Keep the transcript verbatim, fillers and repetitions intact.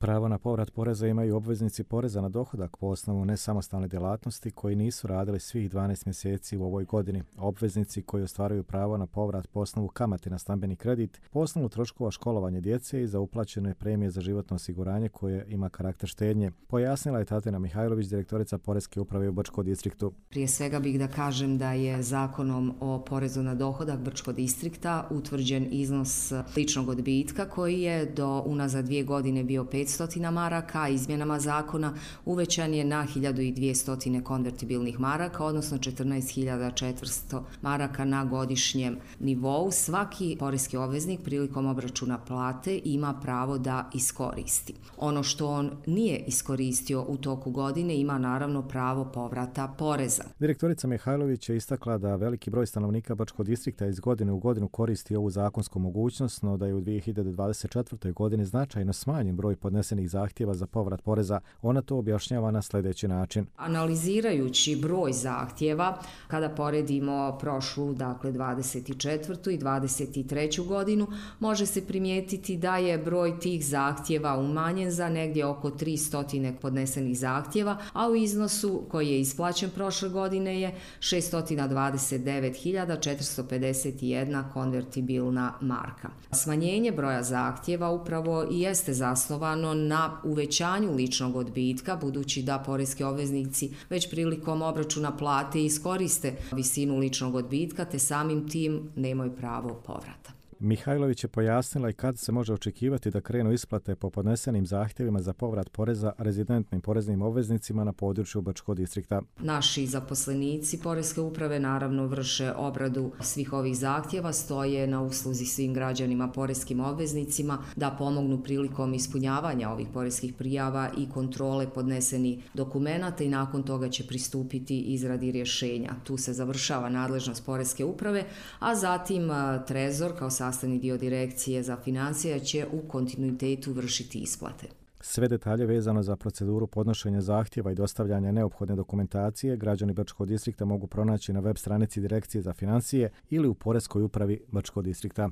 Pravo na povrat poreza imaju obveznici poreza na dohodak po osnovu nesamostalne djelatnosti koji nisu radili svih dvanaest mjeseci u ovoj godini. Obveznici koji ostvaruju pravo na povrat po osnovu kamate na stambeni kredit, po osnovu troškova školovanja djece i za uplaćene premije za životno osiguranje koje ima karakter štednje, pojasnila je Tatjana Mihajlović, direktorica Poreske uprave u Brčkom distriktu. Prije svega bih da kažem da je Zakonom o porezu na dohodak Brčkog distrikta utvrđen iznos ličnog odbitka koji je do unazad dvije godine bio petsto maraka, a izmjenama zakona uvećan je na hiljadu dvjesto konvertibilnih maraka, odnosno četrnaest hiljada četiristo maraka na godišnjem nivou. Svaki poreski obveznik prilikom obračuna plate ima pravo da iskoristi. Ono što on nije iskoristio u toku godine ima naravno pravo povrata poreza. Direktorica Mihajlović je istakla da veliki broj stanovnika Brčkog distrikta iz godine u godinu koristi ovu zakonsku mogućnost, no da je u dvije hiljade dvadeset četvrtoj. godini značajno smanjen broj podnesenih zahtjeva za povrat poreza. Ona to objašnjava na sljedeći način. Analizirajući broj zahtjeva, kada poredimo prošlu, dakle dvadeset četvrtu i dvadeset treću godinu, može se primijetiti da je broj tih zahtjeva umanjen za negdje oko tristo podnesenih zahtjeva, a u iznosu koji je isplaćen prošle godine je šesto dvadeset devet hiljada četiristo pedeset jedna konvertibilna marka. Smanjenje broja zahtjeva upravo i jeste zasnovano na uvećanju ličnog odbitka, budući da poreski obveznici već prilikom obračuna plate iskoriste visinu ličnog odbitka, te samim tim nemaju pravo povrata. Mihajlović je pojasnila i kad se može očekivati da krenu isplate po podnesenim zahtjevima za povrat poreza rezidentnim poreznim obveznicima na području Brčkog distrikta. Naši zaposlenici Poreske uprave naravno vrše obradu svih ovih zahtjeva, stoje na usluzi svim građanima poreskim obveznicima da pomognu prilikom ispunjavanja ovih poreskih prijava i kontrole podnesenih dokumenata i nakon toga će pristupiti izradi rješenja. Tu se završava nadležnost Poreske uprave, a zatim Trezor kao sastavni dio direkcije za financije će u kontinuitetu vršiti isplate. Sve detalje vezano za proceduru podnošenja zahtjeva i dostavljanja neophodne dokumentacije građani Brčkog distrikta mogu pronaći na web stranici Direkcije za financije ili u Poreskoj upravi Brčkog distrikta.